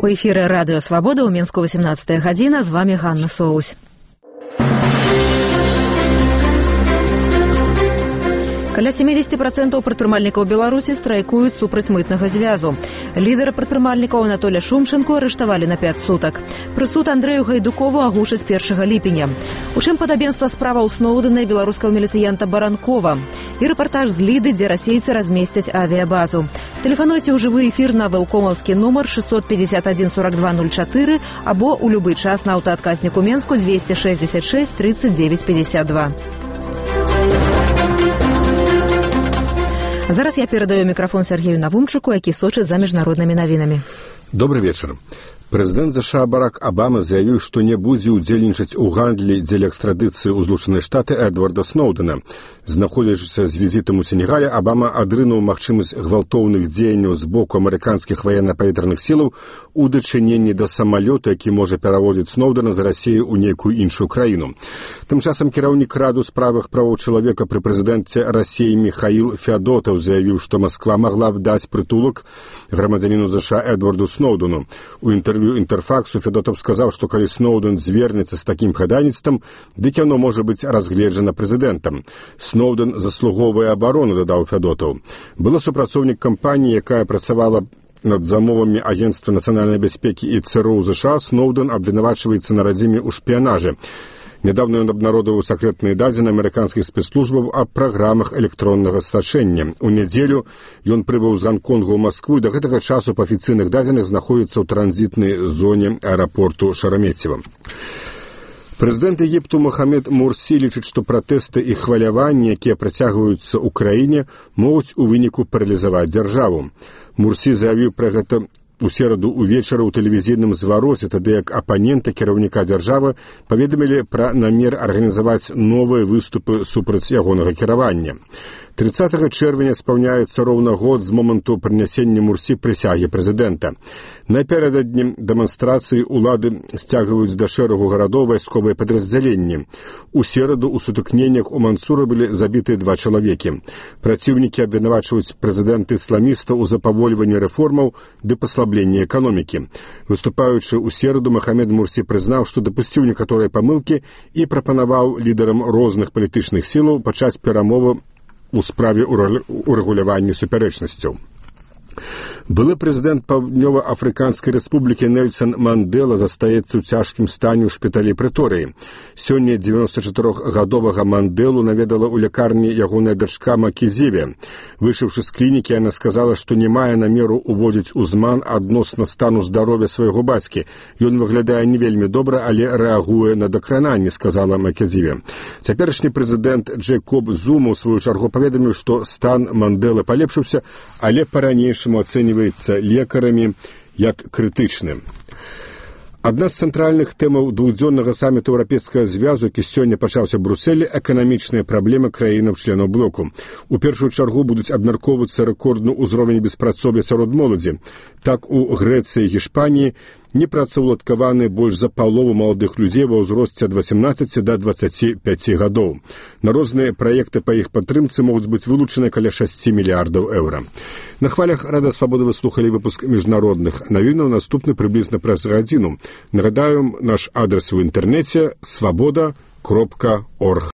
У эфіры радыё «Свабода» ў Мінску 18 гадзіна. З вами Ганна Соусь. Каля 70% прадпрымальнікаў Беларусі страйкуюць супраць мытнага звязу. Лідара прадпрымальнікаў Анатоля Шумченко арыштавалі на 5 сутак. Прысуд Андрэю Гайдукову агучаць 1 ліпеня. У чым падабенства справаў Сноўдэна і беларускага міліцыянта Баранкова. І рэпартаж з Ліды, дзе расейцы размесцяць авіябазу. Тэлефануйце ў жывы эфір на вэлкомаўскі нумар 651 42 04 або ў любы час на аўтаадказніку Менску 266 39 52. Зараз я перадаю мікрафон Сергею Навумчыку, які сочыць за міжнароднымі навінамі. Добрый вечар. Прэзідэнт США Барак Абама заявіў, што не будзе ўдзельнічаць у гандлі дзеля экстрадыцыі ў Злучаныя Штаты Эдварда Сноўдэна. Знаходзячыся з візітам у Сенегале, Абама адрынуў магчымасць гвалтоўных дзеянняў з боку амерыканскіх ваенна-паветраных сілаў у дачыненні да самалёта, які можа перавозіць Сноўдэна з Расіі ў нейкую іншую краіну. Тым часам кіраўнік Раду справах правоў чалавека пры прэзідэнце Расіі Міхаіл Феадотаў заявіў, што Масква магла б даць прытулак грамадзяніну США Эдварду Сноўдэну. У інтэрв'ю Інтэрфаксу Федотаў сказаў, што калі Сноўдэн звернецца з такім хадайніцтвам, дык яно можа быць разгледжана прэзідэнтам. Сноўдэн заслугоўвае абарону, дадаў Федотаў. Была супрацоўнік кампаніі, якая працавала над замовамі Агенцтва нацыянальнай бяспекі і ЦРУ США, Сноўдэн абвінавачваецца на радзіме ў шпіянажы. Недавно ён абнародаваў сакрэтныя дадзеныя амерыканскіх спецслужбаў аб праграмах электроннага сачэння. У нядзелю ён прыбыў з Ганконгу ў Маскву і да гэтага часу па афіцыйных дадзеных знаходзіцца ў транзітнай зоне аэрапорту Шарамецева. Прэзідэнт Егіпту Мохамед Мурсі лічыць, што пратэсты і хваляванні, якія працягваюцца ў краіне, могуць у выніку паралізаваць дзяржаву. Мурсі заявіў пра гэта у сераду ўвечары ў тэлевізійным звароце, тады як апаненты кіраўніка дзяржавы паведамілі пра намер арганізаваць новыя выступы супраць ягонага кіравання. 30 чэрвеня спаўняецца роўна год з моманту прынясення Мурсі прысягі прэзідэнта. Напярэдадні дэманстрацыі ўлады сцягваюць да шэрагу гарадоў вайсковыя падраздзяленні. У сераду ў сутыкненнях у Мансура былі забіты 2 чалавекі. Праціўнікі абвінавачваюць прэзідэнта-ісламіста ў запавольванні рэформаў ды паслабленні эканомікі. Выступаючы ў сераду, Мохамед Мурсі прызнаў, што дапусціў некаторыя памылкі і прапанаваў лідарам розных палітычных сілаў пачаць перамовы у справе урэгулявання супярэчнасцяў. Былы прэзідэнт Паўднёва-Афрыканскай рэспублікі Нельсан Мандела застаецца ў цяжкім стане ў шпіталі Прэторыі. Сёння 94-гадовага Манделу наведала ў лякарні ягоная дачка Макізіве. Выйшаўшы з клінікі, яна сказала, што не мае намеру ўводзіць у зман адносна стану здароўя свайго бацькі. Ён выглядае не вельмі добра, але рэагуе на дакрананні, сказала Макізіве. Цяперашні прэзідэнт Джэйкоб Зума ў сваю чаргу паведаміў, што стан Манделы палепшыўся, але па-ранейшаму ацэньваецца лекарамі як крытычны. Адна з цэнтральных тэмаў двухдзённага саміту Еўрапейскага звязу, які сёння пачаўся ў Брусэлі, эканамічныя праблемы краінаў-членаў блоку. У першую чаргу будуць абмяркоўвацца рэкордны ўзровень беспрацоўя сярод моладзі. Так у Грэцыі і Гішпаніі непрацаўладкаваны больш за палову маладых людзей ва ўзросце ад 18 да 25 гадоў. На розныя праекты па іх падтрымцы могуць быць вылучаны каля 6 мільярдаў еўра. На хвалях Радыё Свабода вы слухалі выпуск міжнародных навінаў, наступны прыблізна праз гадзіну. Нагадаем, наш адрес у інтэрнэце свабода.орг.